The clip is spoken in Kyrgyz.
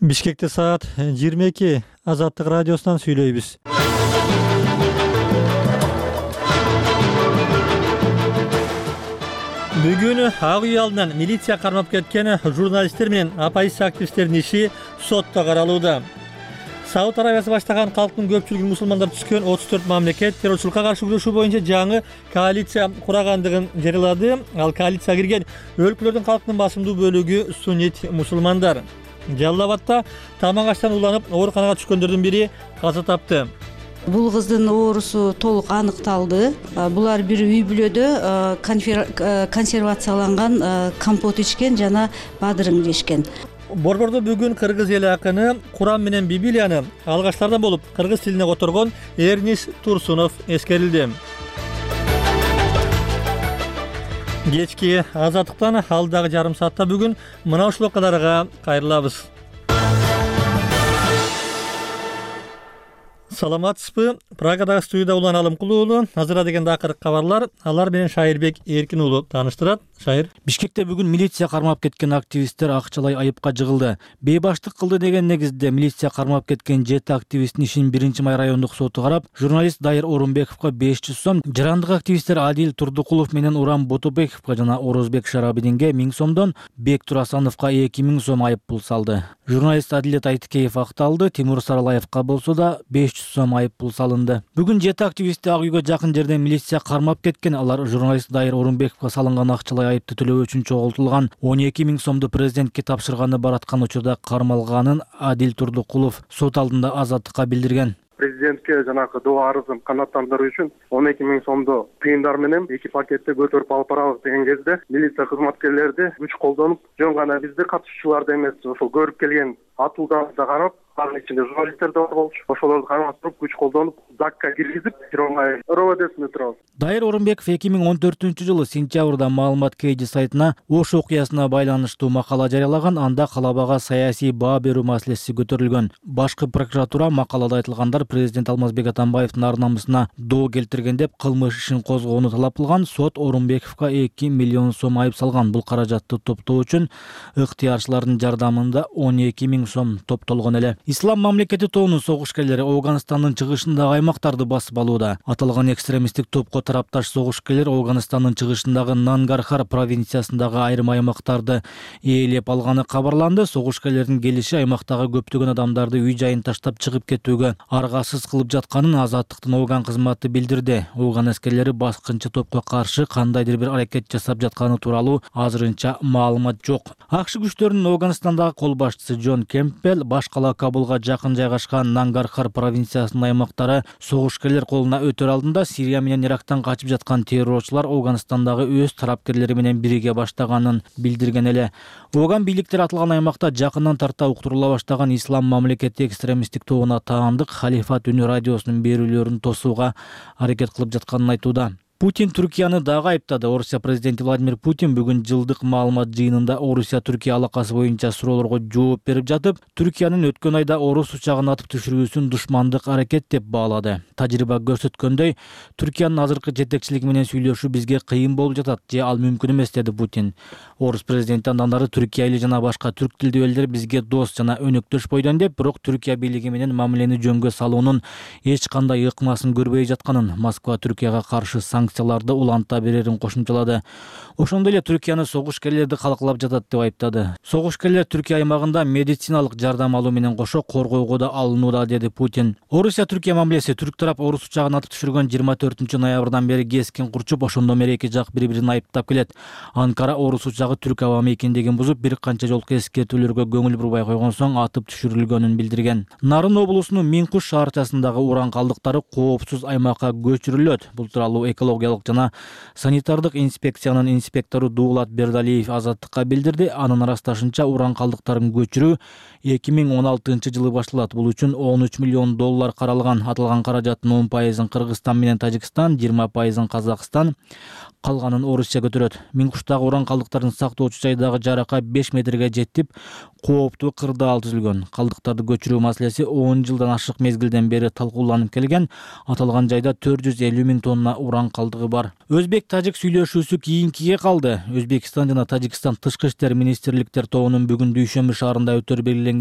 Бишкекте саат 22 Азаттык радиосунан сүйлөйбүз. Бүгүн Ак үй алдынан милиция кармап кеткен журналисттер менен оппозиция активисттеринин иши сотто каралууда. Сауд Арабиясы баштаган калктын көпчүлүгүн мусулмандар түзгөн 34 мамлекет террорчулукка каршы күрөшүү боюнча жаңы коалиция курагандыгын жарыялады. Ал коалицияга кирген өлкөлөрдүн калктын басымдуу бөлүгү суннит мусулмандар. Жалал-Абадта тамак аштан уланып ооруканага түшкөндөрдүн бири каза тапты. Бул кыздын оорусу толук аныкталды. Булар бир үй бүлөдө консервацияланган компот ичкен жана бадырың жешкен. Борбордо бүгүн кыргыз эли акыны Куран менен Библияны алгачлардан болуп кыргыз тилине которгон Эрнис Турсунов эскерилди. Кечки Азаттыктан алдагы жарым саатта бүгүн мына ушул окуяларга кайрылабыз. Саламатсызбы? Прагадагы студияда Улан Алымкулуу уулу. Азыр дегенде акыркы кабарлар. Алар менен Шайырбек Эркин уулу тааныштырат. Шайыр. Бишкекте бүгүн милиция кармап кеткен активисттер акчалай айыпка жыгылды. Бейбаштык кылды деген негизде милиция кармап кеткен 7 активисттин ишин 1-май райондук соту карап, журналист Дайыр Орунбековго 500 сом, жарандык активисттер Адил Турдукулов менен Урам Ботобековго жана Орозбек Шарабидинге 1000 сомдон, Бек Турасановго 2000 сом айып пул салды. Журналист Адилет Айтыкеев акталды, Тимур Саралаевга болсо да 500 сом айып пул салынды. Бүгүн 7 активистти Ак үйгө жакын жерден милиция кармап кеткен. Алар журналист Дайыр Орунбековго салынган акчалай айыпты төлөө үчүн чогултулган 12 000 сомду президентке тапшырганы бараткан учурда кармалганын Адил Турдукулов сот алдында Азаттыкка билдирген. Президентке жанагы доо арызын канааттандыруу үчүн 12 000 сомду тыйындар менен 2 пакетте көтөрүп алып барабыз деген кезде милиция кызматкерлери күч колдонуп, жөн гана бизди катышуучуларды эмес, ошол көрүп келген атууларды карап, анын ичинде журналисттер да бар болчу. Ошолорду кармастырып, күч колдонуп, ЗАГСка киргизип, РОВДсине турабыз. Дайыр Орунбеков 2014-жылы сентябрда маалымат KG сайтына Ош окуясына байланыштуу макала жарыялаган. Анда калабага саясий баа берүү маселеси көтөрүлгөн. Башкы прокуратура макалада айтылгандар президент Алмазбек Атамбаевдин ар-намысына доо келтирген деп кылмыш ишин козгоону талап кылган. Сот Орунбековго 2 миллион сом айып салган. Бул каражатты топтоо үчүн ыктыярчылардын жардамында 12 000 сом топтолгон эле. Ислам мамлекети тобунун согушкерлери Афганистандын чыгышындагы аймактарды басып алууда. Аталган экстремисттик топко тарапташ согушкерлер Афганистандын чыгышындагы Нангархар провинциясындагы айрым аймактарды ээлеп алганы кабарланды. Согушкерлердин келиши аймактагы көптөгөн адамдарды үй жайын таштап чыгып кетүүгө аргасыз кылып жатканын Азаттыктын Афган кызматы билдирди. Афган аскерлери баскынчы топко каршы кандайдыр бир аракет жасап жатканы тууралуу азырынча маалымат жок. АКШ күчтөрүнүн Афганистандагы кол башчысы Джон Кемпбелл баш кала Кабулга жакын жайгашкан Нангархар провинциясынын аймактары согушкерлер колуна өтөр алдында Сирия менен Ирактан качып жаткан террорчулар Афганистандагы өз тарапкерлери менен бириге баштаганын билдирген эле. Афган бийликтери аталган аймакта жакындан тарта уктурула баштаган Ислам мамлекети экстремисттик тобуна таандык Халифат үнү радиосунун берүүлөрүн тосууга аракет кылып жатканын айтууда. Путин Түркияны дагы айыптады. Орусия президенти Владимир Путин бүгүн жылдык маалымат жыйынында Орусия-Түркия алакасы боюнча суроолорго жооп берип жатып, Түркиянын өткөн айда орус учагын атып түшүрүүсүн душмандык аракет деп баалады. Тажрыйба көрсөткөндөй, Түркиянын азыркы жетекчилиги менен сүйлөшүү бизге кыйын болуп жатат, же ал мүмкүн эмес, деди Путин. Орус президенти андан ары Түркия эли жана башка түрк тилдүү элдер бизге дос жана өнөктөш бойдон деп, бирок Түркия бийлиги менен мамилени жөнгө салуунун эч кандай ыкмасын көрбөй жатканын, Москва Түркияга каршы санкцияларды уланта берерин кошумчалады. Ошондой эле Түркияны согушкерлерди калкалап жатат деп айыптады. Согушкерлер Түркия аймагында медициналык жардам алуу менен кошо коргоого да алынууда, деди Путин. Орусия-Түркия мамилеси түрк тарап орус учагын атып түшүргөн 24 ноябрдан бери кескин курчуп, ошондо бери эки жак бири-бирин айыптап келет. Анкара орус учагы түрк аба мейкиндигин бузуп, бир канча жолку эскертүүлөргө көңүл бурбай койгон соң атып түшүрүлгөнүн билдирген. Нарын облусунун Минкуш шаарчасындагы уран калдыктары коопсуз аймакка көчүрүлөт. Бул тууралуу экологиялык жана санитардык инспекциянын инспектору Дуулат Бердалиев Азаттыкка билдирди. Анын ырасташынча, уран калдыктарын көчүрүү 2016-жылы башталат. Бул үчүн $13 миллион каралган. Аталган каражаттын 10% Кыргызстан менен Тажикстан, 20% Казакстан, калганын Орусия көтөрөт. Минкуштагы уран калдыктарын сактоочу жайдагы жарака 5 метрге жетип, кооптуу кырдаал түзүлгөн. Калдыктарды көчүрүү маселеси 10 жылдан ашык мезгилден бери талкууланып келген. Аталган жайда 450 000 тонна уран калдыгы бар. Өзбек-тажик сүйлөшүүсү кийинкиге калды. Өзбекстан жана Тажикстан тышкы иштер министрликтер тобунун бүгүн Дүйшөмбү шаарында өтөр белгиленген